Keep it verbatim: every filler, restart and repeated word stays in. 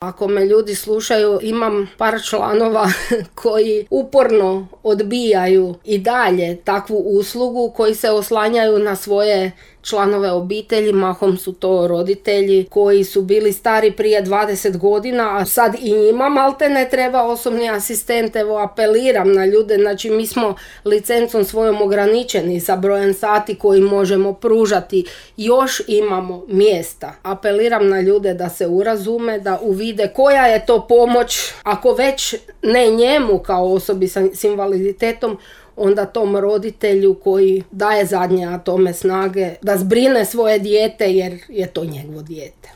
Ako me ljudi slušaju, imam par članova koji uporno odbijaju i dalje takvu uslugu, koji se oslanjaju na svoje članove obitelji, mahom su to roditelji koji su bili stari prije dvadeset godina, a sad i njima malte ne treba osobni asistent. Evo, apeliram na ljude, znači mi smo licencom svojom ograničeni sa brojem sati koji možemo pružati, još imamo mjesta. Apeliram na ljude da se urazume, da uvide koja je to pomoć, ako već ne njemu kao osobi s invaliditetom, onda tom roditelju koji daje zadnje atome snage da zbrine svoje dijete jer je to njegovo dijete.